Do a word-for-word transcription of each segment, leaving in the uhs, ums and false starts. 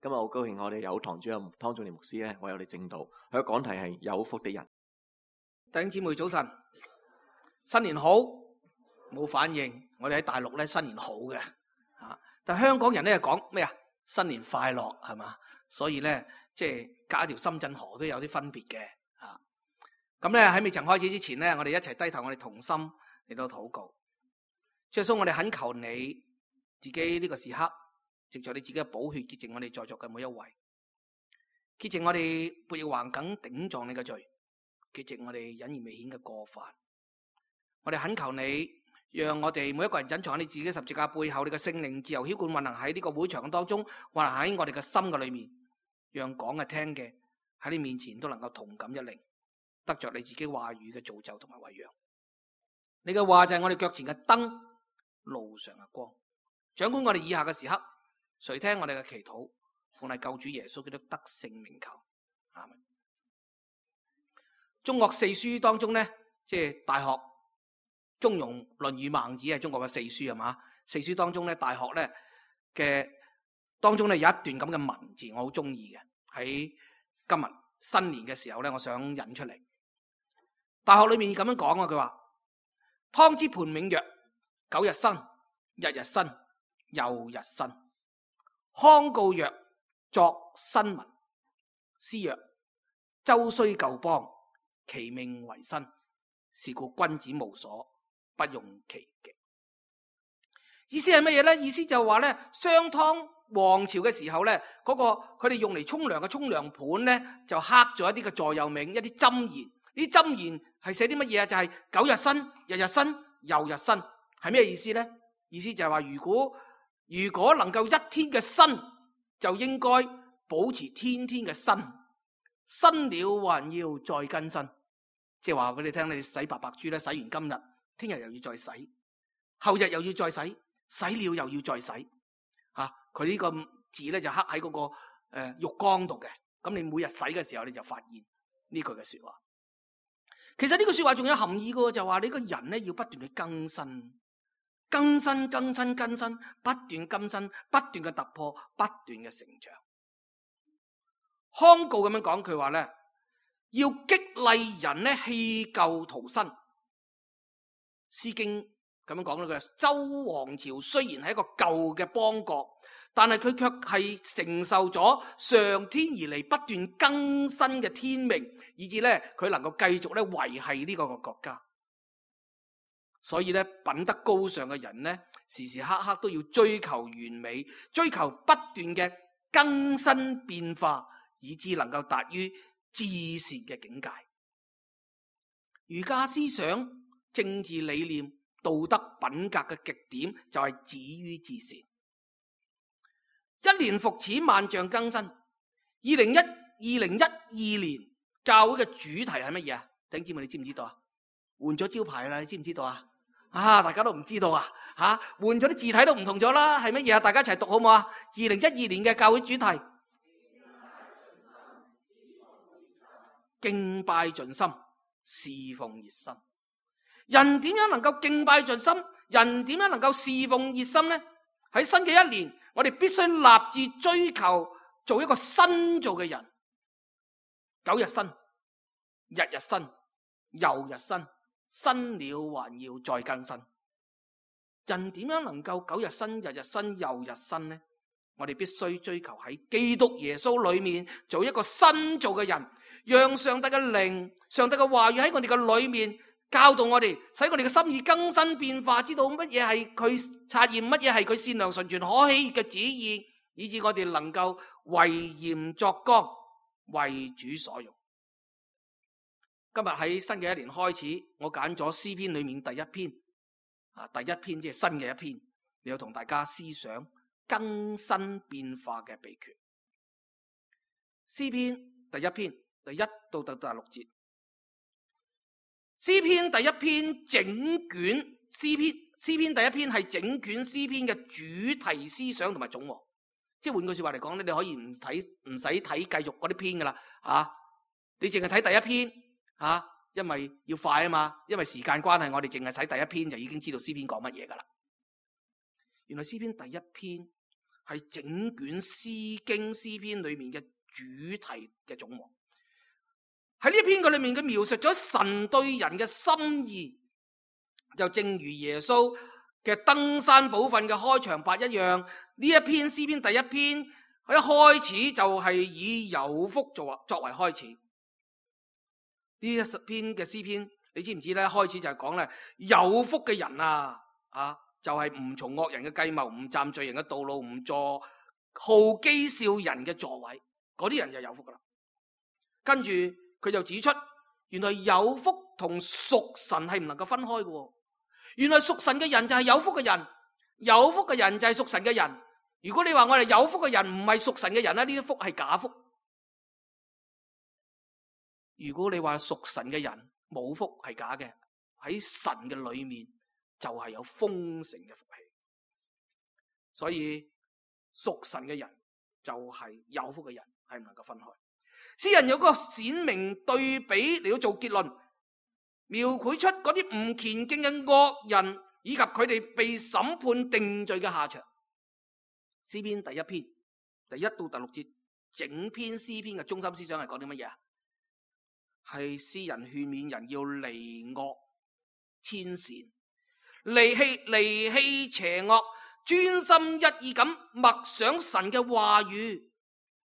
今日好高興，我哋有堂主任湯仲年牧師咧為我哋證道，佢嘅講題係有福的人。弟兄姊妹早晨，新年好，冇反應。我哋喺大陸咧新年好嘅，啊，但香港人咧講咩啊？新年快樂係嘛？所以咧即係隔一條深圳河都有啲分別嘅，啊，咁咧喺未曾開始之前咧，我哋一齊低頭，我哋同心嚟到禱告。主耶穌，我哋懇求你自己呢個時刻，藉著你自己嘅寶血潔淨我哋在座嘅每一位，潔淨我哋悖逆橫梗頂撞你嘅罪，潔淨我哋隱而未顯嘅過犯。我哋懇求你，讓我哋每一個人隱藏喺你自己十字架背後，你嘅聖靈自由澆灌運行喺呢個會場當中，運行喺我哋嘅心嘅裏面，讓講嘅聽嘅喺你面前都能夠同感一靈，得着你自己話語嘅造就同埋餵養。你嘅話就係我哋腳前嘅燈，路上嘅光。掌管我哋以下嘅時刻，垂聽我哋嘅祈禱，奉係救主耶穌基督得勝名求，阿們。中國四書當中咧，即係大學、中庸、論語、孟子係中國嘅四書係嘛？四書當中咧，大學咧嘅當中咧有一段咁嘅文字，我好中意嘅。喺今日新年嘅時候咧，我想引出嚟。大學裏面咁樣講啊，佢話湯之盤銘曰：九日新，日日新，又日新。康告曰：作新聞。詩曰：周須舊邦，其命維新。是故君子無所不用其極。意思係乜嘢咧？意思就話咧，商湯王朝嘅時候咧，嗰、那個佢哋用嚟沖涼嘅沖涼盤咧，就刻咗一啲嘅座右銘，一啲箴言。呢啲箴言係寫啲乜嘢啊？就係、是、九日新，日日新，又日新。係咩意思咧？意思就係話，如果如果能夠一天嘅新，就應該保持天天嘅新。新了還要再更新。即係話俾你聽，你洗白白豬咧，洗完今日，聽日又要再洗，後日又要再洗，洗了又要再洗。啊，佢呢個字咧就刻喺嗰、那個誒、呃、浴缸度嘅。咁你每日洗嘅時候，你就發現呢句嘅說話。其實呢句說話仲有含義嘅，就話你個人咧要不斷去更新，更新、更新、更新，不斷更新，不斷嘅突破，不斷嘅成長。康告咁樣講，佢話咧，要激勵人咧棄舊圖新。詩經咁樣講咧，佢話周王朝雖然係一個舊嘅邦國，但係佢卻係承受咗上天而嚟不斷更新嘅天命，以致咧佢能夠繼續咧維繫呢個個國家。所以咧品德高尚嘅人咧，時時刻刻都要追求完美，追求不斷嘅更新變化，以致能夠達於至善嘅境界。儒家思想、政治理念、道德品格嘅極點就係止於至善。一年復始，萬象更新。二零一二零一二年教會嘅主題係乜嘢啊？弟兄姊妹，你知唔知道啊？換咗招牌啦，你知唔知道啊？啊，大家都唔知道啊？吓、啊，換咗啲字體都唔同咗啦，係乜嘢啊？大家一齊讀好唔好啊？二零一二年嘅教會主題。敬拜盡心，侍奉熱心。人點樣能夠敬拜盡心？人點樣能夠侍奉熱心呢？喺新嘅一年，我哋必須立志追求做一個新造嘅人。九日新，日日新，又日新，新了還要再更新。人點樣能夠九日新，日日新，又日新呢？我哋必須追求喺基督耶穌裏面做一個新造嘅人，讓上帝嘅靈、上帝嘅話語喺我哋嘅裏面教導我哋，使我哋嘅心意更新變化，知道乜嘢係佢察驗，乜嘢係佢善良純全可喜嘅旨意，以致我哋能夠為鹽作光，為主所用。今日喺新嘅一年開始，我揀咗詩篇裏面第一篇啊，第一篇即係新嘅一篇，你要同大家思想更新變化嘅秘訣。詩篇第一篇第一到第第六節。詩篇第一篇整卷詩篇，詩篇第一篇係整卷詩篇嘅主題思想同埋總和。即係換句說話嚟講咧，你可以唔睇唔使睇繼續嗰啲篇噶啦，吓，你淨係睇第一篇吓，因為要快啊嘛，因為時間關係，我哋淨係睇第一篇就已經知道詩篇講乜嘢噶啦。原來詩篇第一篇係整卷詩經詩篇裏面嘅主題嘅總和。喺呢篇嘅裏面，佢描述咗神對人嘅心意，就正如耶穌嘅登山寶訓嘅開場白一樣。呢一篇詩篇第一篇，佢一開始就係以有福作作為開始。呢一篇嘅詩篇，你知唔知咧？開始就係講咧，有福嘅人啊，啊，就係唔從惡人嘅計謀，唔站罪人嘅道路，唔坐好譏笑人嘅座位，嗰啲人就有福噶啦。跟住佢就指出，原來有福同屬神係唔能夠分開嘅。原來屬神嘅人就係有福嘅人，有福嘅人就係屬神嘅人。如果你話我哋有福嘅人唔係屬神嘅人咧，呢啲福係假福。如果你話屬神嘅人冇福係假嘅，喺神嘅裏面就係有豐盛嘅福氣。所以屬神嘅人就係有福嘅人，係唔能夠分開。詩人有個鮮明對比嚟到做結論，描繪出嗰啲唔虔敬嘅惡人以及佢哋被審判定罪嘅下場。詩篇第一篇第一到第六節，整篇詩篇嘅中心思想係講啲乜嘢啊？係詩人勸勉人要離惡遷善，離棄離棄邪惡，專心一意咁默想神嘅話語，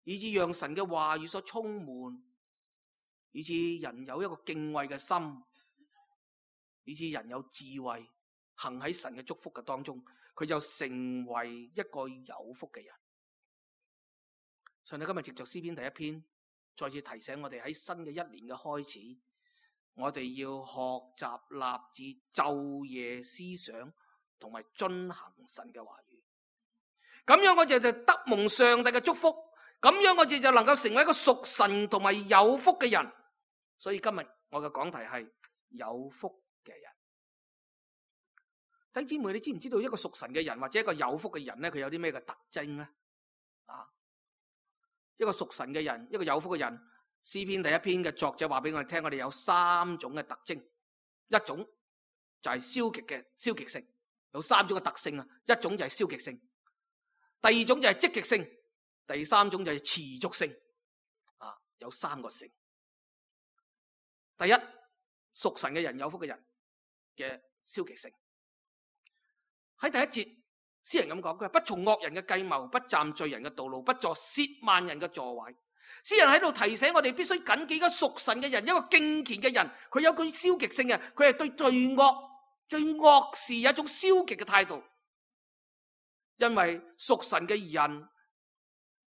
以致讓神嘅話語所充滿，以致人有一個敬畏嘅心，以致人有智慧，行喺神嘅祝福嘅當中，佢就成為一個有福嘅人。上帝今日藉着詩篇第一篇，再次提醒我哋喺新嘅一年嘅開始，我哋要學習立志晝夜思想同埋遵行神嘅話語。咁樣我哋就得蒙上帝嘅祝福，咁樣我哋就能夠成為一個屬神同埋有福嘅人。所以今日我嘅講題係有福嘅人。弟兄姊妹，你知唔知道一個屬神嘅人或者一個有福嘅人咧，佢有啲咩嘅特徵咧？啊，一個屬神嘅人，一個有福嘅人，詩篇第一篇嘅作者話俾我哋聽，我哋有三種嘅特徵。一種就係消極嘅消極性，有三種嘅特性啊。一種就係消極性，第二種就係積極性，第三種就係持續性。啊，有三個性。第一，屬神嘅人，有福嘅人嘅消極性。喺第一節，詩人咁講，佢係不從惡人嘅計謀，不站罪人嘅道路，不坐褻慢人嘅座位。詩人喺度提醒我哋，必須謹記一個屬神嘅人，一個敬虔嘅人，佢有句消極性嘅，佢係對罪惡、對惡事有一種消極嘅態度。因為屬神嘅人，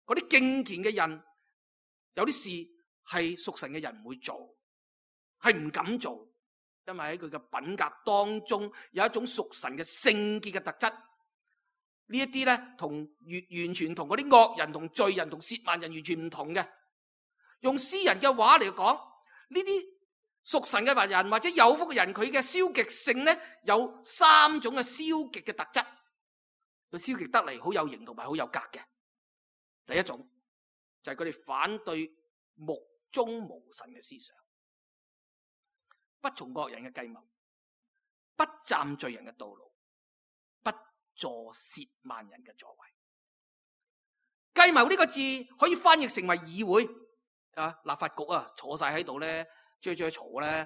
嗰啲敬虔嘅人，有啲事係屬神嘅人唔會做，係唔敢做。因為喺佢嘅品格當中有一種屬神嘅聖潔嘅特質，呢一啲咧同完完全同嗰啲惡人同罪人同褻慢人完全唔同嘅。用詩人嘅話嚟講，呢啲屬神嘅人或者有福嘅人，佢嘅消極性咧有三種嘅消極嘅特質，佢消極得嚟好有型同埋好有格嘅。第一種就係佢哋反對目中無神嘅思想。不從惡人嘅計謀，不站罪人嘅道路，不坐褻慢人嘅座位。計謀呢個字可以翻譯成為議會啊，立法局啊，坐晒喺度咧，追追嘈咧，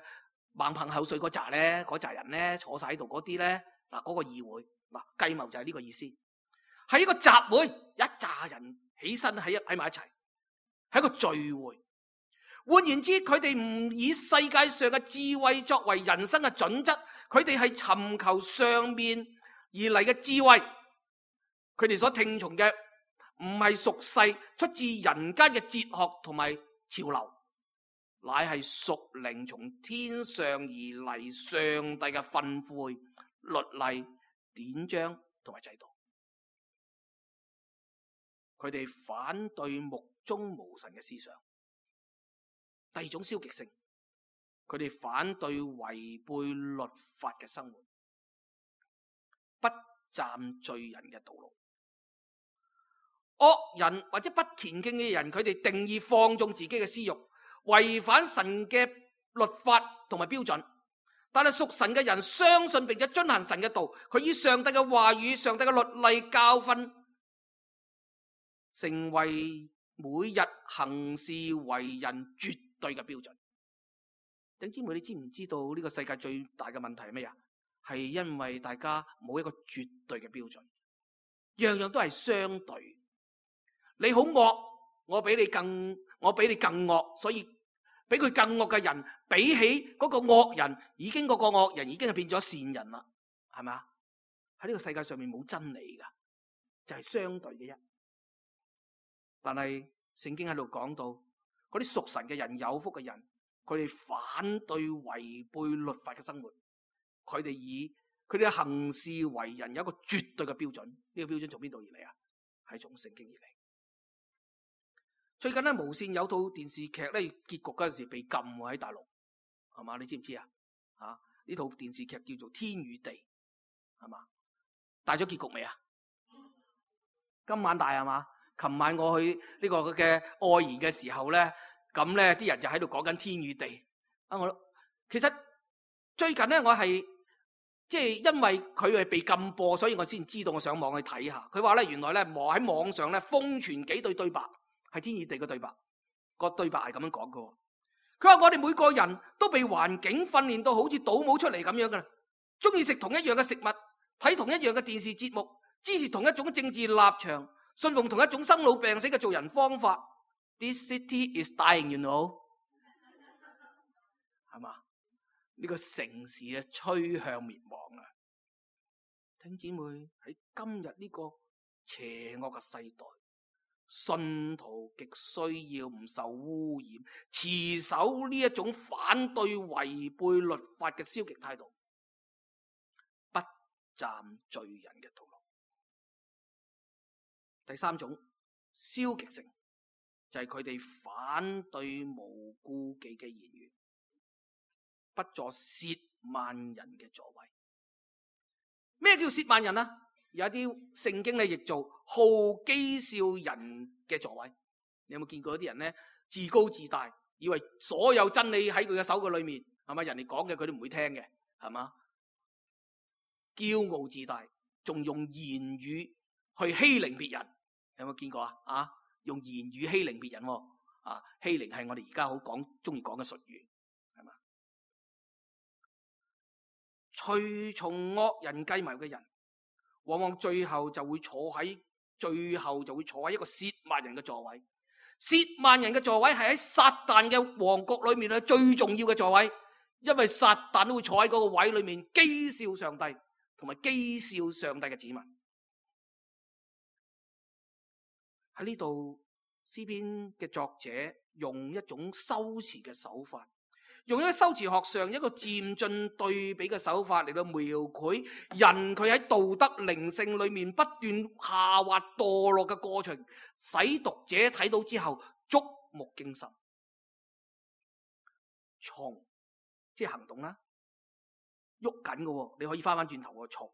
猛噴口水嗰扎咧，嗰扎人咧坐晒喺度嗰啲咧，嗱、那、嗰個議會，嗱計謀就係呢個意思，係一個集會，一紮人起身喺喺埋一齊，係一個聚會。換言之，佢哋唔以世界上嘅智慧作為人生嘅準則，佢哋係尋求上面而嚟嘅智慧。佢哋所聽從嘅唔係屬世出自人間嘅哲學同埋潮流，乃係屬靈從天上而嚟上帝嘅訓誨、律例、典章同埋制度。佢哋反對目中無神嘅思想。第二種消極性，佢哋反對違背律法嘅生活，不站罪人嘅道路。惡人或者不虔敬嘅人，佢哋定義放縱自己嘅私欲，違反神嘅律法同埋標準。但係屬神嘅人相信並且遵行神嘅道，佢以上帝嘅話語、上帝嘅律例教訓成為每日行事為人絕對嘅標準。弟兄姊妹，你知唔知道呢個世界最大嘅問題係咩啊？係因為大家冇一個絕對嘅標準，樣樣都係相對。你好惡，我比你更，我比你更惡，所以比佢更惡嘅人，比起嗰個惡人，已經嗰個惡人已經係變咗善人啦，係咪啊？喺呢個世界上面冇真理噶，就係相對嘅啫。但係聖經喺度講到，嗰啲屬神嘅人、有福嘅人，佢哋反對違背律法嘅生活，佢哋以佢哋嘅行事為人有一個絕對嘅標準。呢個標準從邊度而嚟啊？係從聖經而嚟。最近咧無綫有套電視劇咧，結局嗰陣時被禁喎，喺大陸，係嘛？你知唔知啊？啊，呢套電視劇叫做《天與地》，係嘛？大咗結局未啊？今晚大係嘛？琴晚我去呢個嘅愛筵嘅時候咧，咁咧啲人就喺度講緊天與地啊！我其實最近咧，我係即係因為佢係被禁播，所以我先知道，我上網去睇下。佢話咧，原來咧網喺網上咧瘋傳幾對對白，係天與地嘅對白。個對白係咁樣講嘅。佢話我哋每個人都被環境訓練到好似倒模出嚟咁樣噶啦，中意食同一樣嘅食物，睇同一樣嘅電視節目，支持同一種政治立場，信奉同一種生老病死嘅做人方法。This city is dying, you know， 係嘛？呢個城市啊，趨向滅亡啦！弟兄姊妹，喺今日呢個邪惡嘅世代，信徒極需要唔受污染，持守呢一種反對違背律法嘅消極態度，不站罪人嘅道路。第三種消極性就係佢哋反對無顧忌嘅言語，不坐褻慢人嘅座位。咩叫褻慢人啊？有一啲聖經咧譯做好譏笑人嘅座位。你有冇見過一啲人咧自高自大，以為所有真理喺佢嘅手嘅裏面，係嘛？人哋講嘅佢都唔會聽嘅，係嘛？驕傲自大，仲用言語去欺凌別人。有冇見過啊？啊，用言語欺凌別人，啊，欺凌係我哋而家好講中意講嘅術語，係嘛？隨從惡人計謀嘅人，往往最後就會坐喺最後就會坐喺一個褻慢人嘅座位。褻慢人嘅座位係喺撒旦嘅王國裏面咧最重要嘅座位，因為撒旦都會坐喺嗰個位裏面譏笑上帝，同埋譏笑上帝嘅子民。喺呢度詩篇嘅作者用一種修辭嘅手法，用一個修辭學上一個漸進對比嘅手法嚟到描繪人佢喺道德靈性裏面不斷下滑墮落嘅過程，使讀者睇到之後觸目驚心。從即係行動啦，喐緊嘅，你可以翻翻轉頭個從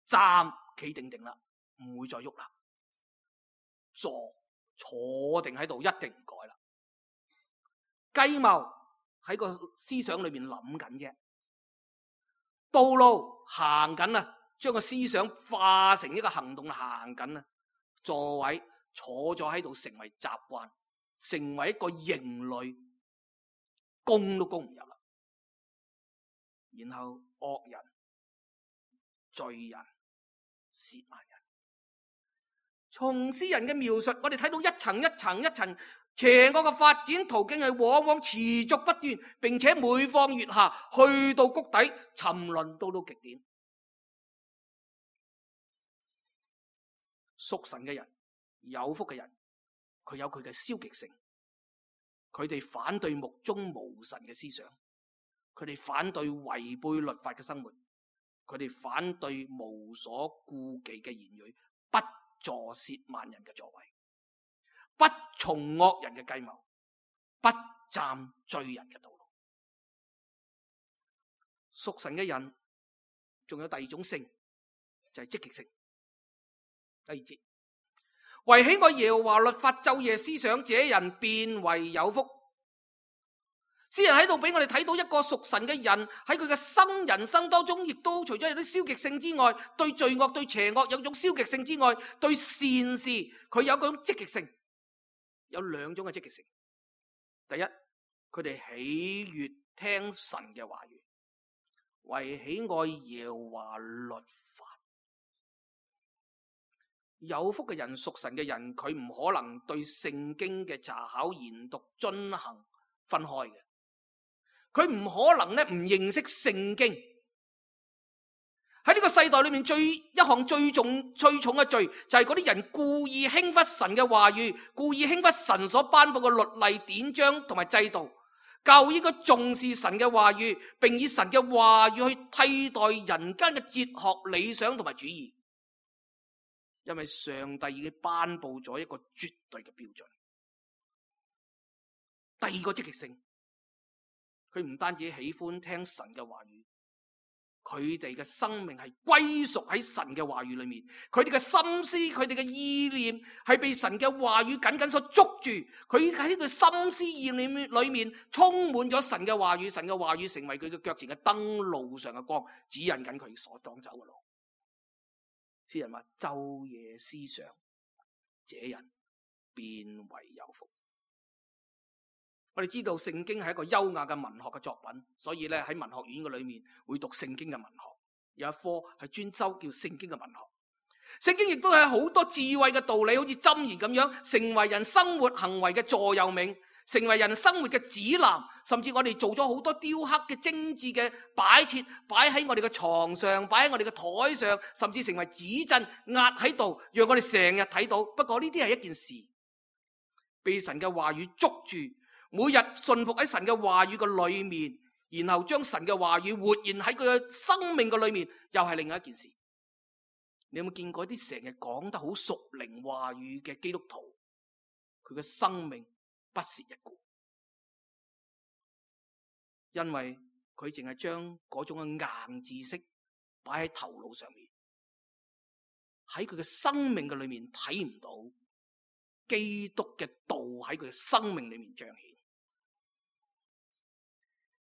站企定定啦，唔會再喐啦。坐坐定喺度，一定唔改啦。計謀喺個思想裏面諗緊嘅，道路行緊啦，將個思想化成一個行動行緊啦。座位坐咗喺度，成為習慣，成為一個營壘，攻都攻唔入啦。然後惡人、罪人、褻慢人。從詩人嘅描述，我哋睇到一層一層一層邪惡嘅發展途徑係往往持續不斷，並且每況愈下，去到谷底，沉淪到到極點。屬神嘅人、有福嘅人，佢有佢嘅消極性，佢哋反對目中無神嘅思想，佢哋反對違背律法嘅生活，佢哋反對無所顧忌嘅言語，不坐褻慢人嘅座位，不從惡人嘅計謀，不站罪人嘅道路。屬神嘅人仲有第二種性，就係積極性。第二節，為喜愛耶和華律法晝夜思想，這人便為有福。詩人喺度俾我哋睇到一個屬神嘅人喺佢嘅生人生當中，亦都除咗有啲消極性之外，對罪惡、對邪惡有種消極性之外，對善事佢有嗰種積極性，有兩種嘅積極性。第一，佢哋喜悅聽神嘅話語，為喜愛耶和華律法。有福嘅人，屬神嘅人，佢唔可能對聖經嘅查考、研讀、遵行分開嘅。佢唔可能咧唔認識聖經。喺呢個世代裏面，最一項最重最重嘅罪就係嗰啲人故意輕忽神嘅話語，故意輕忽神所頒布嘅律例典章同埋制度。教會應該重視神嘅話語，並以神嘅話語去替代人間嘅哲學理想同埋主義，因為上帝已經頒布咗一個絕對嘅標準。第二個積極性，佢唔單止喜歡聽神嘅話語，佢哋嘅生命係歸屬喺神嘅話語裏面，佢哋嘅心思、佢哋嘅意念係被神嘅話語緊緊所捉住，佢喺呢個心思意念裏面充滿咗神嘅話語，神嘅話語成為佢嘅腳前嘅燈，路上嘅光，指引緊佢所當走嘅路。詩人話：晝夜思想，這人便為有福。我哋知道聖經係一個優雅嘅文學嘅作品，所以咧喺文學院嘅裏面會讀聖經嘅文學，有一科係專修叫聖經嘅文學。聖經亦都係好多智慧嘅道理，好似箴言咁樣，成為人生活行為嘅座右銘，成為人生活嘅指南。甚至我哋做咗好多雕刻嘅精緻嘅擺設，擺喺我哋嘅床上，擺喺我哋嘅台上，甚至成為指針壓喺度，讓我哋成日睇到。不過呢啲係一件事，被神嘅話語捉住，每日順服喺神嘅話語嘅裏面，然後將神嘅話語活現喺佢嘅生命嘅裏面，又係另外一件事。你有冇見過啲成日講得好屬靈話語嘅基督徒，佢嘅生命不屑一顧，因為佢淨係將嗰種嘅硬知識擺喺頭腦上面，喺佢嘅生命嘅裏面睇唔到基督嘅道喺佢嘅生命裏面彰顯。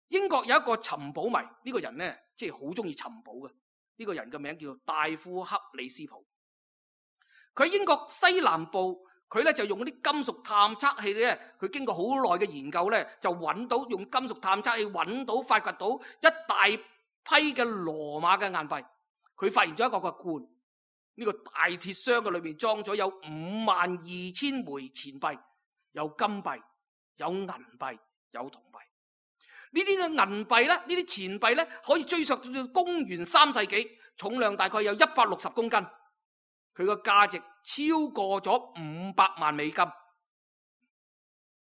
英國有一個尋寶迷，呢、這個人呢，即係好中意尋寶嘅。呢、這個人嘅名叫做戴夫克里斯普。佢喺英國西南部，佢咧就用嗰啲金屬探測器咧，佢經過好耐嘅研究咧，就揾到用金屬探測器揾到發掘到一大批嘅羅馬嘅硬幣。佢發現咗一個個罐，呢、這個大鐵箱嘅裏面裝咗有五萬二千枚錢幣，有金幣，有銀幣，有銅幣。呢啲嘅銀幣咧，呢啲錢幣咧，可以追溯到公元三世紀，重量大概有一百六十公斤，佢個價值超過咗五百萬美金。呢、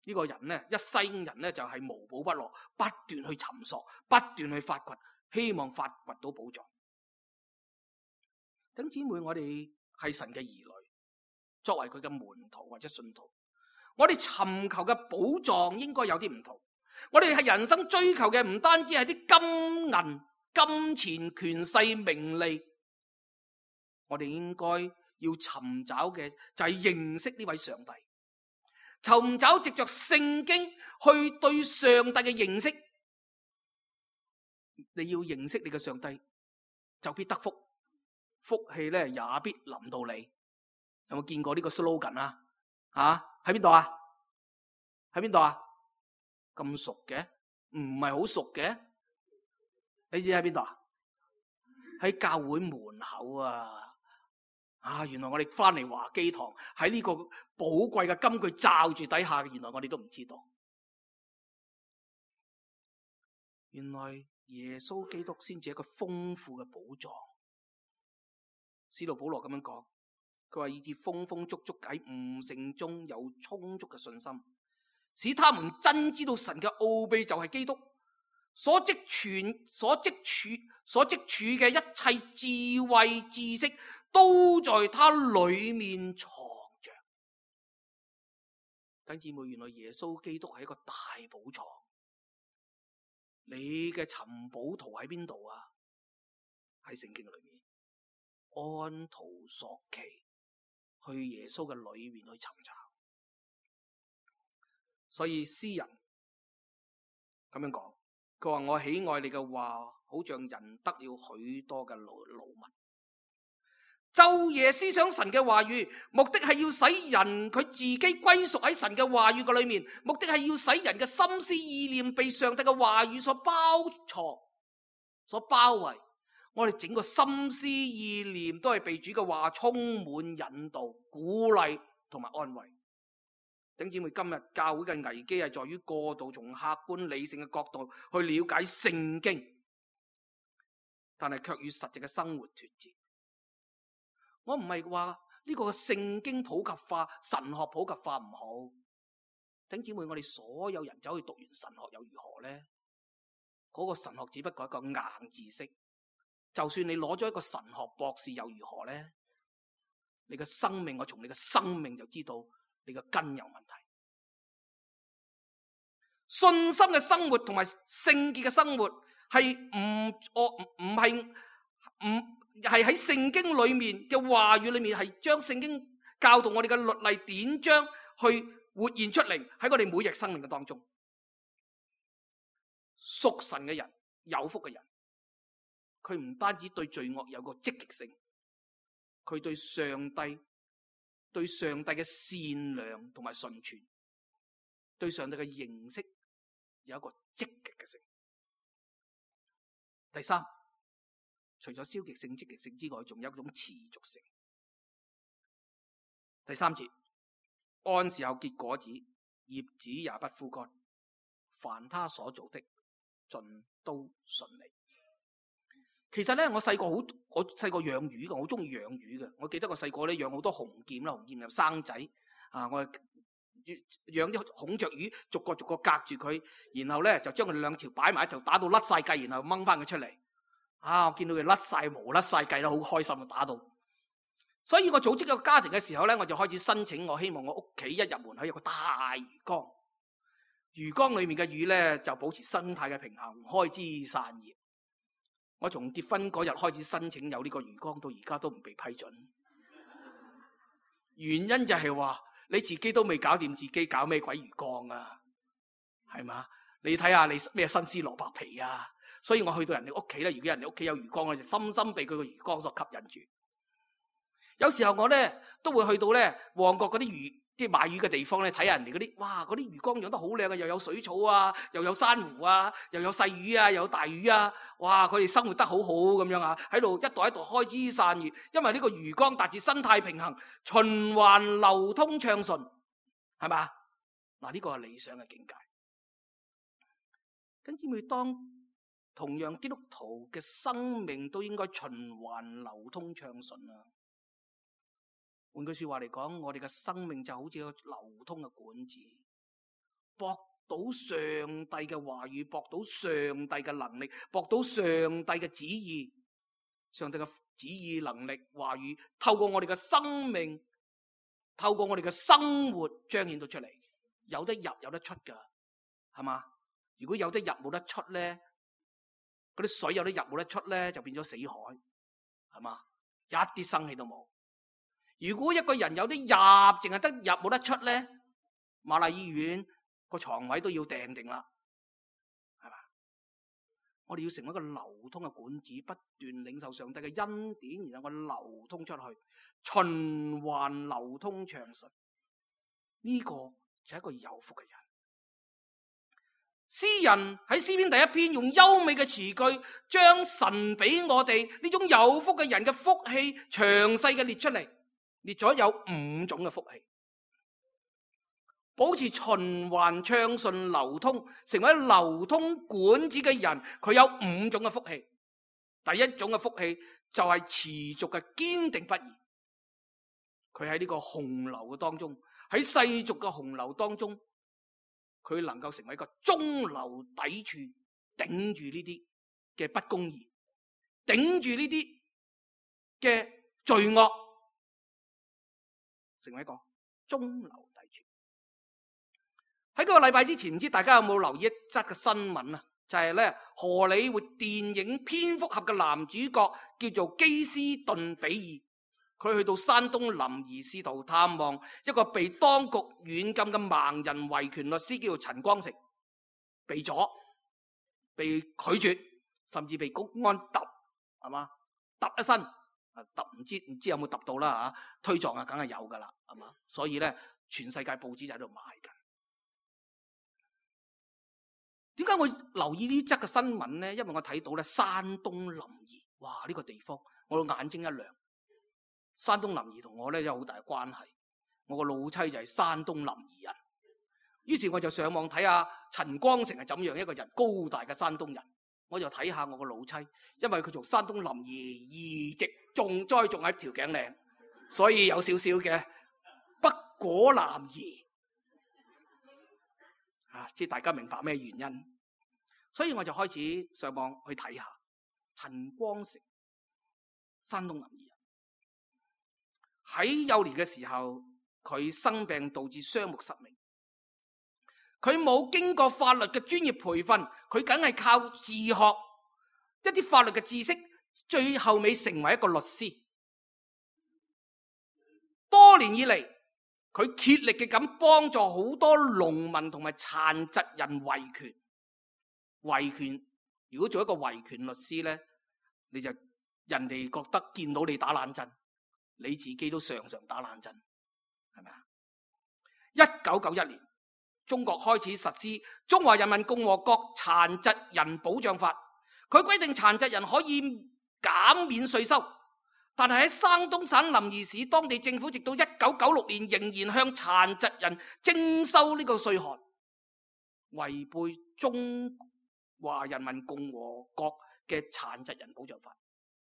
這個人咧，一生人咧就係無寶不落，不斷去尋索，不斷去發掘，希望發掘到寶藏。弟兄姊妹，我哋係神嘅兒女，作為佢嘅門徒或者信徒，我哋尋求嘅寶藏應該有啲唔同。我哋係人生追求嘅唔單止係啲金銀、金錢、權勢、名利，我哋應該要尋找嘅就係認識呢位上帝，尋找藉着聖經去對上帝嘅認識。你要認識你嘅上帝，就必得福，福氣咧也必臨到你。有冇見過呢個 slogan 啊？吓，喺邊度啊？喺邊度啊？咁熟嘅，唔係好熟嘅，你知喺邊度啊？喺教會門口啊！啊，原來我哋翻嚟華基堂喺呢個寶貴嘅金句罩住底下，原來我哋都唔知道。原來耶穌基督先至係一個豐富嘅寶藏。使徒保羅咁樣講，佢話以致豐豐足足喺悟性中有充足嘅信心，使他們真知道神嘅奧秘就係基督，所積存、所積儲、所積儲嘅一切智慧知識，都在他裏面藏着。弟兄姊妹，原來耶穌基督係一個大寶藏。你嘅尋寶圖喺邊度啊？喺聖經裏面，按圖索驥，去耶穌嘅裏面去尋找。所以詩人咁樣講，佢話我喜愛你嘅話，好像人得了許多嘅勞勞民。晝夜思想神嘅話語，目的係要使人佢自己歸屬喺神嘅話語嘅裏面，目的係要使人嘅心思意念被上帝嘅話語所包藏、所包圍。我哋整個心思意念都係被主嘅話充滿引導、鼓勵同埋安慰。弟兄姊妹，今日教會嘅危機係在於過度從客觀理性嘅角度去了解聖經，但係卻與實際嘅生活脫節。我唔係話呢個聖經普及化、神學普及化唔好。弟兄姊妹，我哋所有人走去讀完神學又如何呢？嗰個神學只不過係一個硬知識。就算你攞咗一個神學博士又如何呢？你嘅生命，我從你嘅生命就知道你嘅根有問題。信心嘅生活同埋聖潔嘅生活係唔我唔唔係唔。係喺聖經裏面嘅話語裏面，係將聖經教導我哋嘅律例典章去活現出嚟喺我哋每日生命嘅當中。屬神嘅人，有福嘅人，佢唔單止對罪惡有個積極性，佢對上帝對上帝嘅善良同埋純全，對上帝嘅認識有一個積極嘅性。第三，除咗消極性、積極性之外，仲有一種持續性。第三節，按時候結果子，葉子也不枯乾，凡他所做的盡都順利。其實咧，我細個好，我細個養魚嘅，我好中意養魚嘅。我記得我細個咧養好多紅劍啦，紅劍又生仔啊，我養啲孔雀魚，逐個逐個隔住佢，然後咧就將佢哋兩條擺埋一條，打到甩晒計，然後掹翻佢出嚟。啊！我見到佢甩晒毛、甩晒計啦，好開心啊！打到，所以我組織一個家庭嘅時候咧，我就開始申請，我希望我屋企一入門口有個大魚缸，魚缸裏面嘅魚咧就保持生態嘅平衡，開枝散葉。我從結婚嗰日開始申請有呢個魚缸，到而家都唔被批准。原因就係話你自己都未搞掂自己，搞咩鬼魚缸啊？係嘛？你睇下你咩新絲蘿蔔皮啊？所以我去到人哋屋企咧，如果人哋屋企有魚缸，我就深深被佢個魚缸所吸引住。有時候我咧都會去到咧旺角嗰啲魚，即係買魚嘅地方咧，睇下人哋嗰啲，哇！嗰啲魚缸養得好靚啊，又有水草啊，又有珊瑚啊，又有細魚啊，又有大魚啊，哇！佢哋生活得好好咁樣啊，喺度一代一代開枝散葉，因為呢個魚缸達至生態平衡、循環流通暢順，係嘛？嗱，呢個係理想嘅境界。跟住每當同樣基督徒嘅生命都應該循環流通暢順啊！換句說話嚟講，我哋嘅生命就好似個流通嘅管子，駁到上帝嘅話語，駁到上帝嘅能力，駁到上帝嘅旨意，上帝嘅旨意、能力、話語，透過我哋嘅生命，透過我哋嘅生活彰顯到出嚟，有得入有得出噶，係嘛？如果有得入冇得出咧？嗰啲水有得入冇得出咧，就變咗死海，係嘛？一啲生氣都冇。如果一個人有啲入，淨係得入冇得出咧，瑪麗醫院個床位都要訂定啦，係嘛？我哋要成為一個流通嘅管子，不斷領受上帝嘅恩典，然後我流通出去，循環流通暢順。呢個就係一個有福嘅人。詩人喺詩篇第一篇用優美嘅詞句，將神俾我哋呢種有福嘅人嘅福氣詳細嘅列出嚟，列咗有五種嘅福氣，保持循環暢順流通，成為流通管子嘅人，佢有五種嘅福氣。第一種嘅福氣就係持續嘅堅定不移，佢喺呢個洪流嘅當中，喺世俗嘅洪流當中，佢能夠成為一個中流砥柱，頂住呢啲嘅不公義，頂住呢啲嘅罪惡，成為一個中流砥柱。喺嗰個禮拜之前，唔知大家有冇留意一則嘅新聞啊？就係咧荷里活電影蝙蝠俠嘅男主角叫做基斯頓比爾。佢去到山東臨沂，試圖探望一個被當局軟禁嘅盲人維權律師，叫做陳光誠，被咗。被拒絕，甚至被公安揼，係嘛？揼一身，揼唔知唔知有冇揼到啦嚇？推撞啊，梗係有噶啦，係嘛？所以咧，全世界報紙就喺度賣緊。點解我留意呢則嘅新聞咧？因為我睇到咧，山東臨沂，哇！呢個地方我個眼睛一亮。山東臨沂同我咧有好大嘅關係，我個老妻就係山東臨沂人。於是我就上網睇下陳光誠係怎樣一個人，高大嘅山東人。我就睇下我個老妻，因為佢從山東臨沂移植種栽種喺條頸嶺，所以有少少嘅北果南移。啊！即係大家明白咩原因，所以我就開始上網去睇下陳光誠，山東臨沂人。喺幼年嘅時候，佢生病導致雙目失明，佢冇經過法律嘅專業培訓，佢梗係靠自學一啲法律嘅知識，最後尾成為一個律師。多年以嚟，佢竭力嘅咁幫助好多農民同埋殘疾人維權。維權，如果做一個維權律師咧，你就人哋覺得見到你打冷震，你自己都常常打冷震，係咪啊？一九九一年，中國開始實施《中華人民共和國殘疾人保障法》，佢規定殘疾人可以減免稅收。但係喺山東省臨沂市，當地政府直到一九九六年仍然向殘疾人徵收呢個稅項，違背中華人民共和國嘅殘疾人保障法。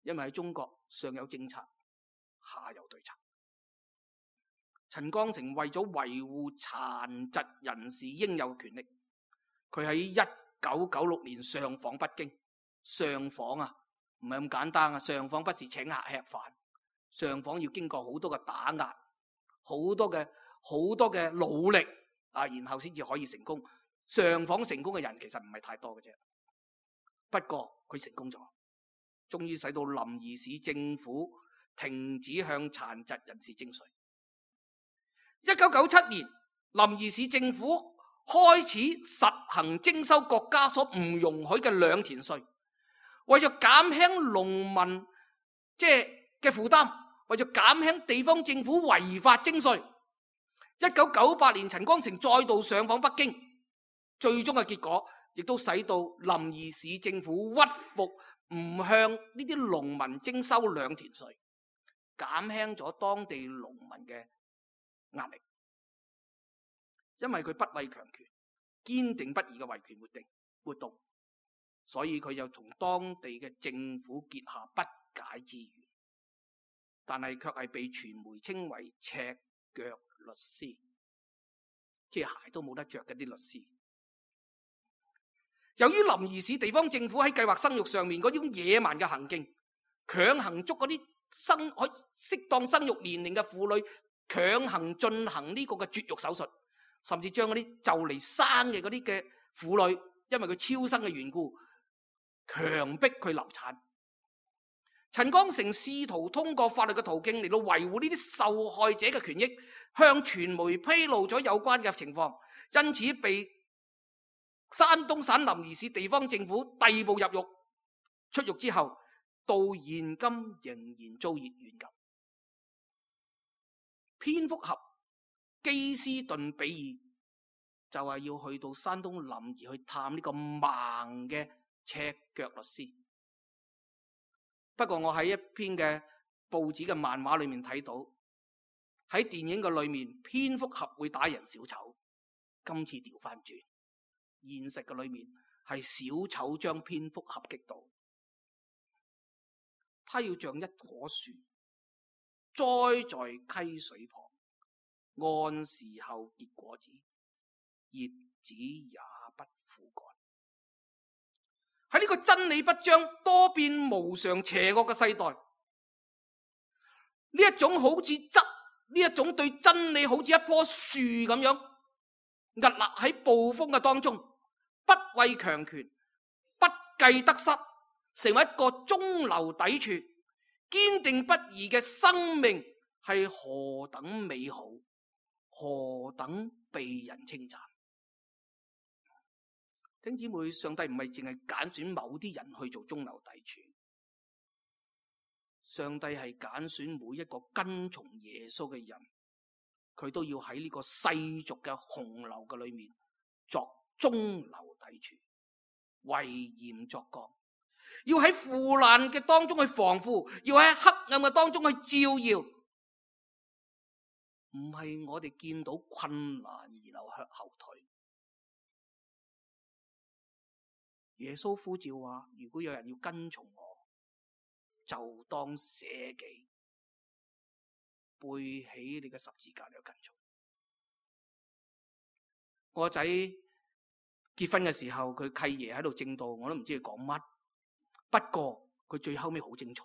因為喺中國上有政策，下有對策。陳光誠為咗維護殘疾人士應有權利，佢喺一九九六年上訪北京。上訪啊！唔係咁簡單啊！上訪不是請客吃飯，上訪要經過好多嘅打壓，好多嘅好多嘅努力啊，然後先至可以成功。上訪成功嘅人其實唔係太多嘅啫，不過佢成功咗，終於使到臨沂市政府停止向殘疾人士徵稅。一九九七年，臨沂市政府開始實行徵收國家所唔容許嘅兩田稅。為咗減輕農民即係嘅負擔，為咗減輕地方政府違法徵稅，一九九八年陳光誠再度上訪北京，最終嘅結果亦都使到臨沂市政府屈服，唔向呢啲農民徵收兩田稅，減輕咗當地農民嘅壓力。因為佢不畏強權，堅定不移嘅維權活動活動。所以佢就同當地嘅政府結下不解之緣，但係卻係被傳媒稱為赤腳律師，即係鞋都冇得着嘅啲律師。由於臨沂市地方政府喺計劃生育上面嗰種野蠻嘅行徑，強行捉嗰啲生可適當生育年齡嘅婦女，強行進行呢個嘅絕育手術，甚至將嗰啲就嚟生嘅嗰啲嘅婦女，因為佢超生嘅緣故，強迫佢流產。陳光誠試圖通過法律嘅途徑嚟到維護呢啲受害者嘅權益，向傳媒披露咗有關嘅情況，因此被山東省臨沂市地方政府逮捕入獄。出獄之後，到現今仍然遭熱軟禁。蝙蝠俠基斯頓比爾就係要去到山東臨沂去探呢個盲嘅赤腳律師。不過我喺一篇嘅報紙嘅漫畫裏面睇到，喺電影嘅裏面蝙蝠俠會打贏小丑，今次調翻轉，現實嘅裏面係小丑將蝙蝠俠擊倒。他要像一棵樹栽在溪水旁，按時候結果子，葉子也不枯乾。喺呢個真理不彰、多變無常、邪惡嘅世代，呢一種好似執呢一種對真理好似一棵樹咁樣屹立喺暴風嘅當中，不畏強權，不計得失，成為一個中流砥柱、堅定不移嘅生命，係何等美好，何等被人稱讚。弟兄姊妹，上帝唔係淨係揀選某啲人去做中流砥柱，上帝係揀選每一個跟從耶穌嘅人，佢都要喺呢個世俗嘅洪流嘅裏面作中流砥柱，為鹽作光，要喺腐爛嘅當中去防腐，要喺黑暗嘅當中去照耀。唔係我哋見到困難而流向後退。耶穌呼召話：如果有人要跟從我，就當捨己，背起你嘅十字架嚟跟從。我個仔結婚嘅時候，佢契爺喺度正道，我都唔知佢講乜。不過佢最後尾好精彩，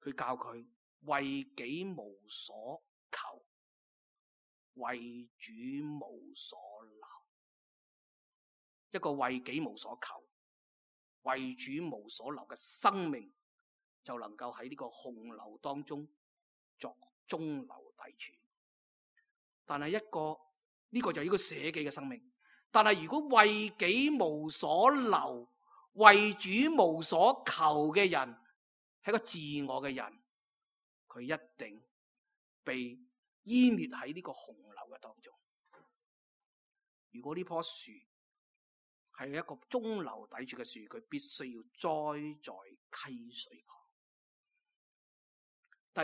佢教佢為己無所求，為主無所留。一個為己無所求、為主無所留嘅生命，就能夠喺呢個洪流當中作中流砥柱。但係一個呢、這個就係一個捨己嘅生命。但係如果為己無所留、為主無所求嘅人，係一個自我嘅人，佢一定被湮滅喺呢個洪流嘅當中。如果呢棵樹係一個中流砥柱嘅樹，佢必須要栽在溪水旁。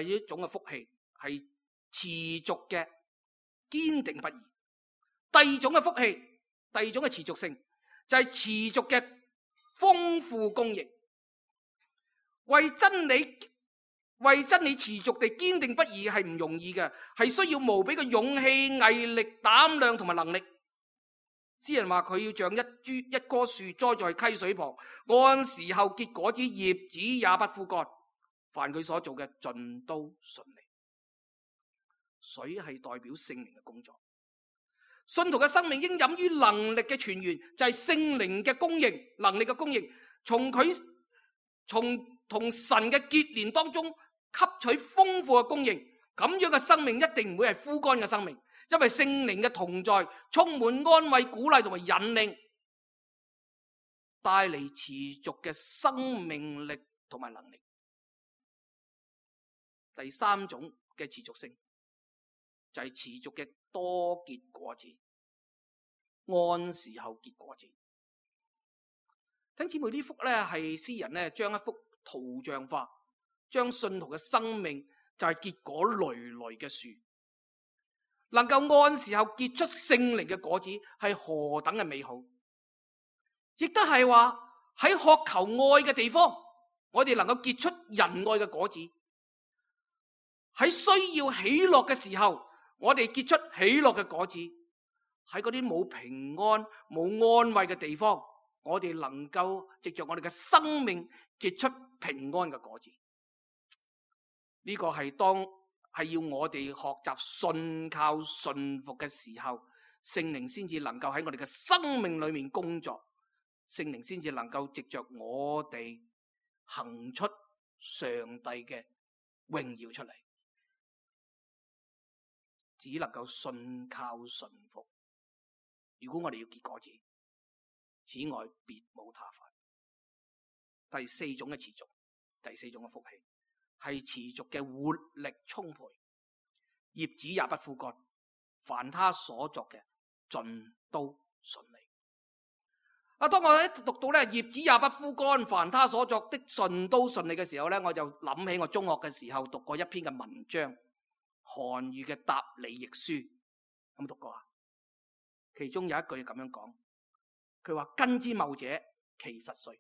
第一種嘅福氣係持續嘅堅定不移。第二種嘅福氣，第二種嘅持續性就係、是、持續嘅豐富供應。為真理為真理持續地堅定不移係唔容易嘅，係需要無比嘅勇氣、毅力、膽量同埋能力。詩人話佢要像一株一棵樹栽在溪水旁，按時候結果子，葉子也不枯乾。凡佢所做嘅盡都順利。水係代表聖靈嘅工作。信徒嘅生命應飲於能力嘅泉源，就係聖靈嘅供應，能力嘅供應，從佢從同神嘅結連當中吸取豐富嘅供應。咁樣嘅生命一定唔會係枯乾嘅生命。因為聖靈嘅同在，充滿安慰、鼓勵同埋引領，帶嚟持續嘅生命力同埋能力。第三種嘅持續性就係持續嘅多結果子，按時候結果子。聽姊妹，呢幅咧係詩人咧將一幅圖像化，將信徒嘅生命就係結果累累嘅樹。能夠按時候結出聖靈嘅果子，係何等嘅美好！亦都係話喺渴求愛嘅地方，我哋能夠結出仁愛嘅果子；喺需要喜樂嘅時候，我哋結出喜樂嘅果子；喺嗰啲冇平安、冇安慰嘅地方，我哋能夠藉着我哋嘅生命結出平安嘅果子。呢個係當係要我哋學習信靠信服嘅時候，聖靈先至能夠喺我哋嘅生命裏面工作，聖靈先至能夠藉着我哋行出上帝嘅榮耀出嚟。只能夠信靠信服。如果我哋要結果子，此外別無他法。第四種嘅持續，第四種嘅福氣，係持續嘅活力充沛，葉子也不枯乾，凡他所作嘅盡都順利。啊，當我一讀到咧葉子也不枯乾，凡他所作的盡都順利嘅時候咧，我就諗起我中學嘅時候讀過一篇嘅文章，韓愈嘅《答李易書》，有冇讀過啊？其中有一句咁樣講，佢話：根之茂者，其實帥；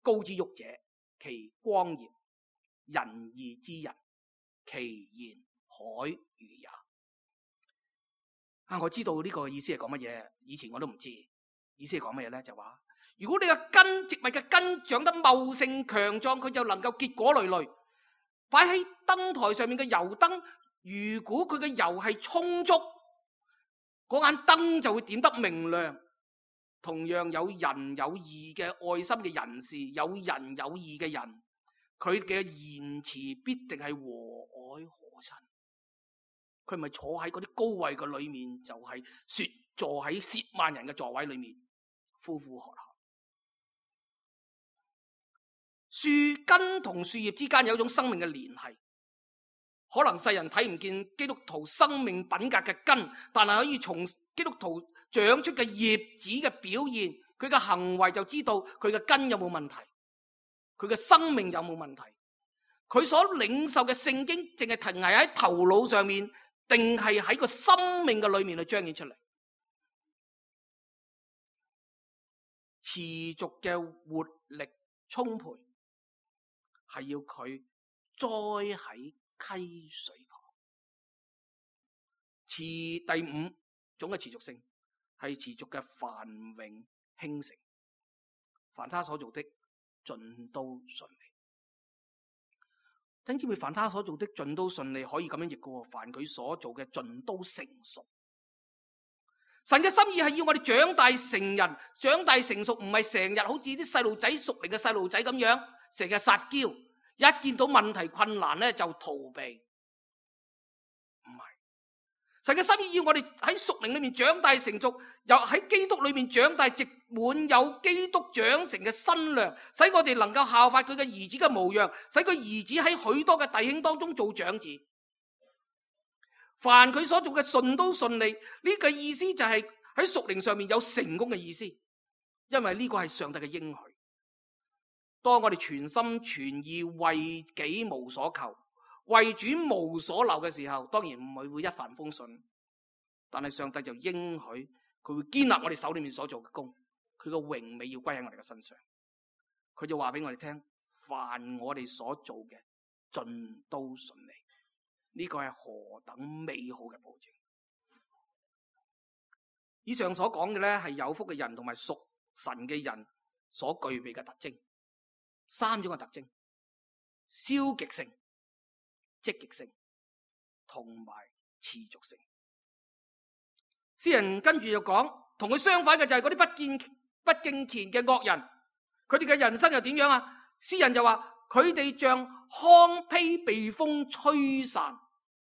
高之沃者，其光嚴；仁義之人，其言海魚也。啊，我知道呢個意思係講乜嘢，以前我都唔知。意思係講乜嘢咧？就話如果你嘅根，植物嘅根長得茂盛強壯，佢就能夠結果累累。擺喺燈台上面嘅油燈，如果佢嘅油係充足，嗰眼燈就會點得明亮。同樣有仁有義嘅愛心嘅人士，有仁有義嘅人，佢嘅言辭必定係和藹可親。佢唔係坐喺嗰啲高位嘅裏面，就係、是、說坐喺褻慢人嘅座位裏面。呼呼喝喝。樹根同樹葉之間有一種生命嘅聯繫，可能世人睇唔見基督徒生命品格嘅根，但係可以從基督徒長出嘅葉子嘅表現，佢嘅行為就知道佢嘅根有冇問題，佢嘅生命有冇問題，佢所領受嘅聖經淨係停留喺頭腦上面，定係喺個生命嘅裏面去彰顯出嚟。持續嘅活力充沛，係要佢栽喺溪水旁。持第五種嘅持續性係持續嘅繁榮興盛，凡他所做的盡都順利。弟兄姊妹，凡他所做的盡都順利，可以咁樣譯嘅，凡佢所做嘅盡都成熟。神嘅心意係要我哋長大成人，長大成熟，唔係成日好似啲細路仔熟嚟嘅細路仔咁樣，成日撒嬌，一見到問題困難咧就逃避。唔係，神嘅心意要我哋喺屬靈裏面長大成熟，又喺基督裏面長大，直滿有基督長成嘅身量，使我哋能夠效法佢嘅兒子嘅模樣，使佢兒子喺許多嘅弟兄當中做長子。凡佢所做嘅順都順利，呢個意思就係喺屬靈上面有成功嘅意思，因為呢個係上帝嘅應許。當我哋全心全意為己無所求，為主無所留嘅時候，當然唔係會一帆風順，但係上帝就應許佢會堅立我哋手裏面所做嘅工，佢嘅榮美要歸喺我哋嘅身上。佢就話俾我哋聽，凡我哋所做嘅盡都順利。呢個係何等美好嘅保證！以上所講嘅咧，係有福嘅人同埋屬神嘅人所具備嘅特徵，三種嘅特徵：消極性、積極性同埋持續性。詩人跟住就講，同佢相反嘅就係嗰啲不敬不敬虔嘅惡人，佢哋嘅人生又點樣啊？詩人就話佢哋像糠秕被風吹散。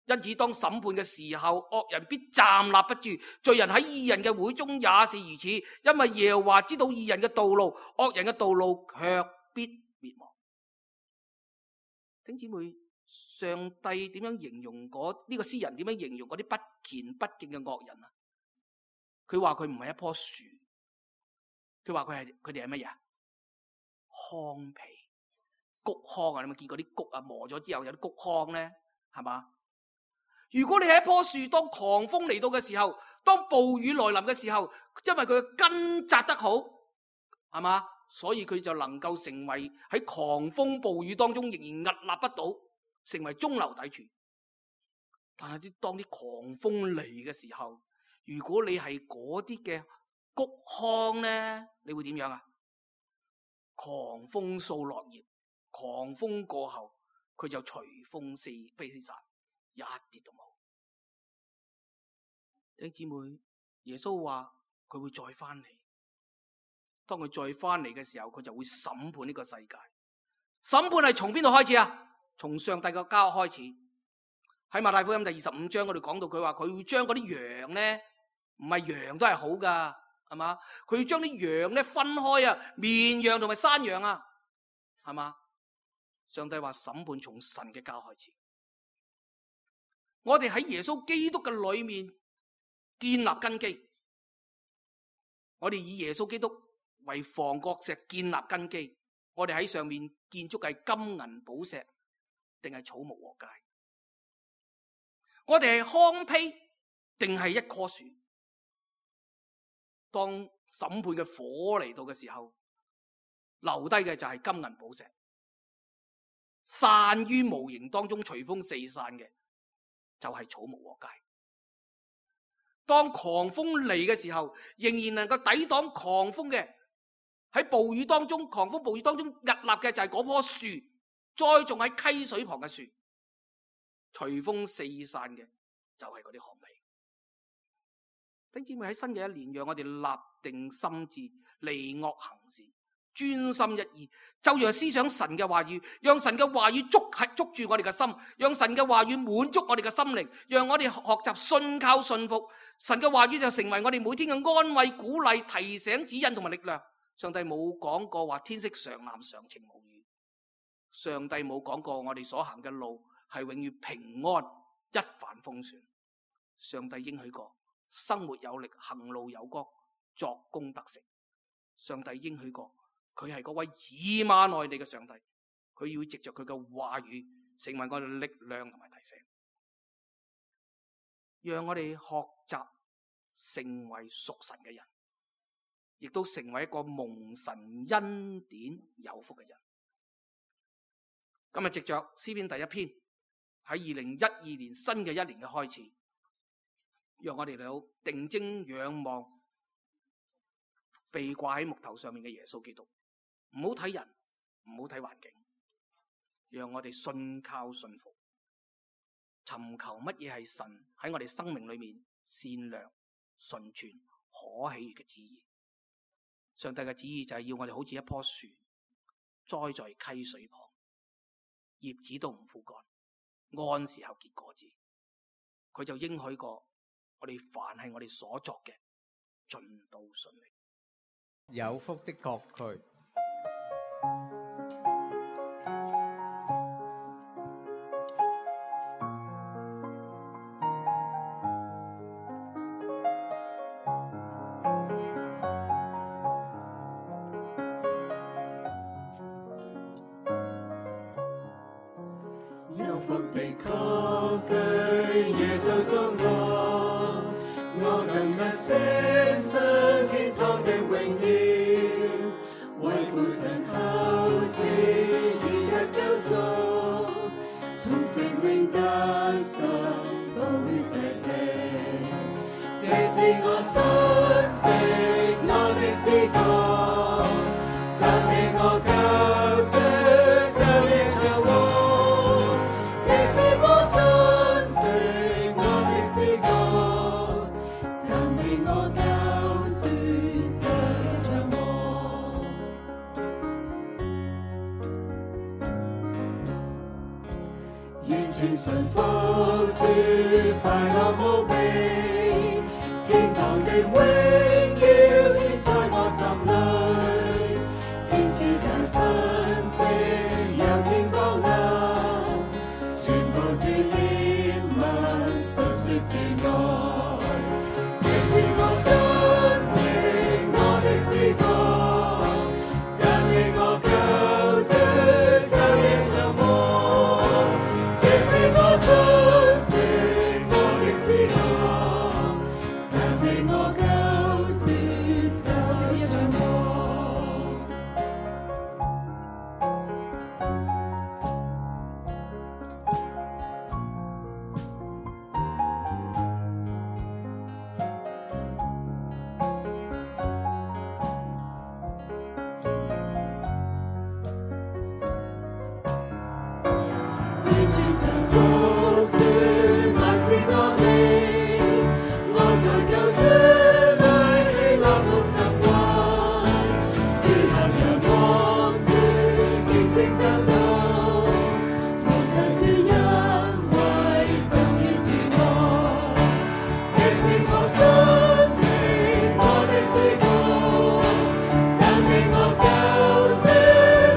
因此當審判嘅時候，惡人必站立不住，罪人喺義人嘅會中也是如此，因為耶和華知道義人嘅道路，惡人嘅道路卻必滅亡。弟兄姊妹，上帝點樣形容嗰呢、這個詩人點樣形容嗰啲不虔不敬嘅惡人啊？佢話佢唔係一棵樹，佢話佢係佢哋係乜嘢？糠秕、谷糠啊！你有冇見過啲谷啊？磨咗之後有啲谷糠咧，係嘛？如果你係一棵樹，當狂風嚟到嘅時候，當暴雨來臨嘅時候，因為佢嘅根扎得好，係嘛，所以佢就能夠成為喺狂風暴雨當中仍然屹立不倒，成為中流砥柱。但係啲當啲狂風嚟嘅時候，如果你係嗰啲嘅谷糠咧，你會點樣啊？狂風掃落葉，狂風過後，佢就隨風四飛散。一啲都冇。弟兄姊妹，耶穌話佢會再翻嚟，當佢再翻嚟嘅時候，佢就會審判呢個世界。審判係從邊度開始啊？從上帝嘅家開始。喺馬太福音第二十五章嗰度講到，佢話佢會將嗰啲羊咧，唔係羊都係好噶，係嘛？佢要將啲羊咧分開啊，綿羊同埋山羊啊，係嘛？上帝話審判從神嘅家開始。我哋喺耶穌基督嘅裏面建立根基，我哋以耶穌基督為房角石建立根基，我哋喺上面建築係金銀寶石定係草木禾秸？我哋係糠秕定係一棵樹？當審判嘅火嚟到嘅時候，留低嘅就係金銀寶石，散於無形當中隨風四散嘅就係草木禾秸。當狂風嚟嘅時候，仍然能夠抵擋狂風嘅，喺暴雨當中，狂風暴雨當中屹立嘅就係嗰棵樹，栽種喺溪水旁嘅樹，隨風四散嘅就係嗰啲糠秕。弟兄姊妹，喺新嘅一年，讓我哋立定心志，離惡行善，專心一意，就讓思想神嘅話語，讓神嘅話語捉係捉住我哋嘅心，讓神嘅話語滿足我哋嘅心靈，讓我哋學習信靠信服。神嘅話語就成為我哋每天嘅安慰、鼓勵、提醒、指引同埋力量。上帝冇講過話天色常藍常晴無雨，上帝冇講過我哋所行嘅路係永遠平安一帆風順。上帝應許過生活有力，行路有光，作工得成。上帝應許過佢係嗰位以馬內利嘅上帝，佢要藉着佢嘅話語成為我哋嘅力量同埋提醒，讓我哋學習成為屬神嘅人，亦都成為一個蒙神恩典有福嘅人。今日藉着詩篇第一篇，喺二零一二年新嘅一年嘅開始，讓我哋嚟到定睛仰望被掛喺木頭上面嘅耶穌基督，唔好睇人，唔好睇環境，讓我哋信靠信服，尋求乜嘢係神喺我哋生命裏面善良、純全、可喜悅嘅旨意。上帝嘅旨意就係要我哋好似一棵樹栽在溪水旁，葉子都唔枯乾，按時候結果子。佢就應許過我哋凡係我哋所作嘅，盡都順利。有福的國區。有福的國區，耶穌屬我，我更能升上天堂的榮耀，為父神後嗣而得救贖，從聖靈得贖，寶血洗淨，這是我信息，我的詩歌，讚美我救主，晝夜長和。這是我信息，我的詩歌，讚美我救主，晝夜長和。完全順服主，快樂無比，天堂的榮耀顯在我心裏，天使的訊息由天降臨，全部主憐憫述說主愛，這是我信息，我的詩歌，讚美我救主，晝夜長和。這是我信息，我的詩歌，讚美我救主，晝夜長和。完全順服主，萬事樂利，我在救主裏喜樂滿心懷，時刻仰望主，警醒等待，望救主恩惠，浸於主愛，這是我信息，我的詩歌，讚美我救主，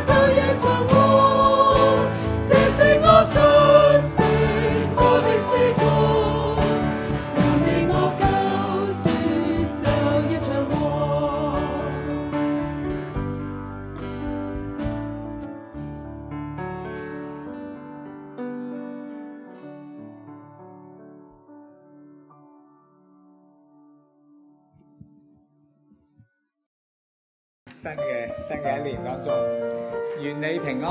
晝夜長和。這是我信息，我的詩歌，讚美我救主，晝夜長和。新嘅新嘅一年當中，願你平安。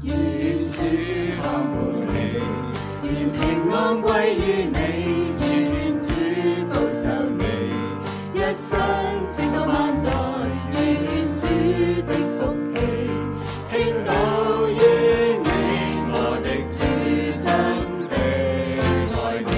願主看顧你，願平安歸於你，願主保守你，一生直到萬代，願主的福氣傾倒於你，我的主真的愛你。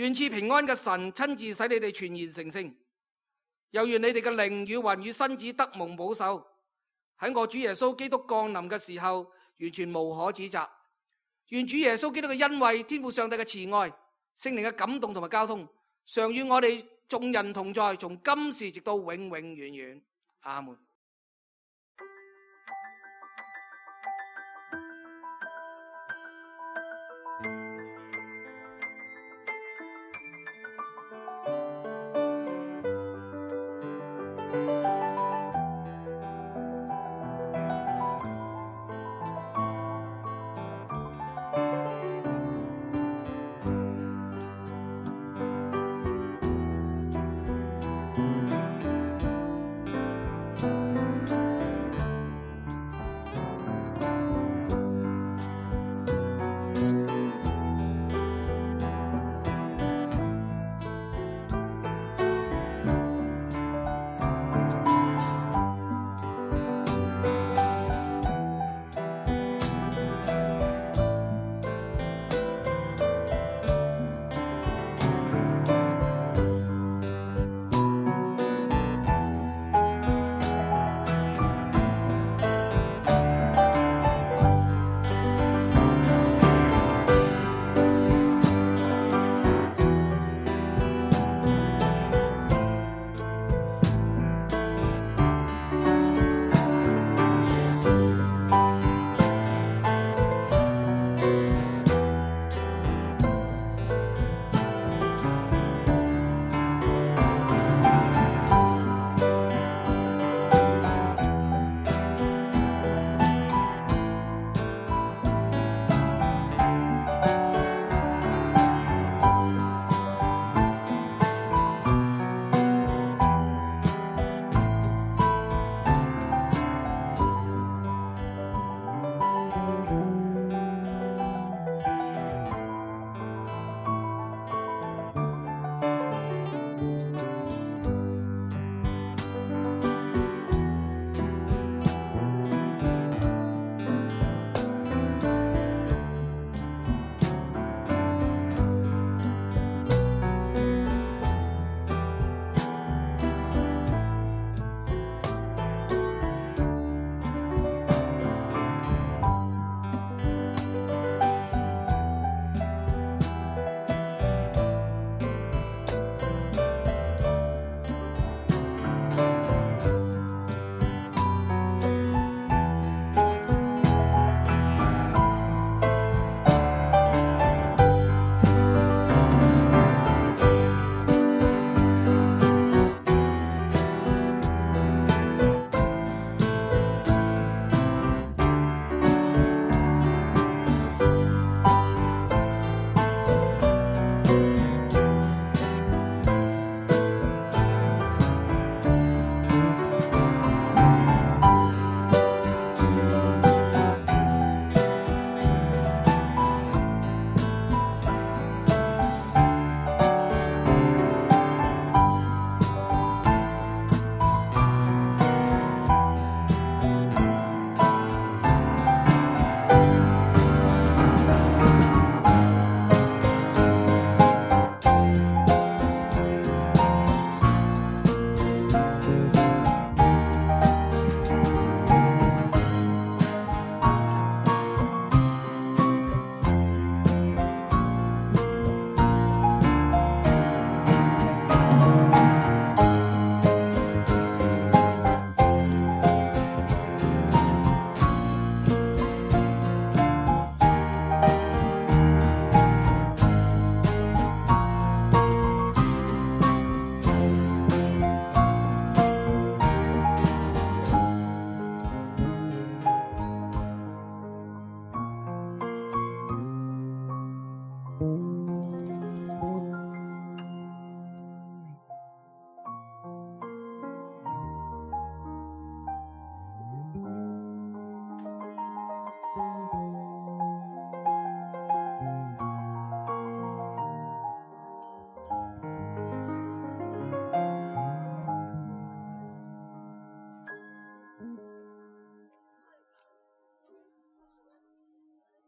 願賜平安嘅神親自使你哋全然成聖，又願你哋嘅靈與魂與身子得蒙保守，喺我主耶穌基督降臨嘅時候完全無可指責。願主耶穌基督嘅恩惠、天父上帝嘅慈愛、聖靈嘅感動同埋交通，常與我哋眾人同在，從今時直到永永遠遠。阿門。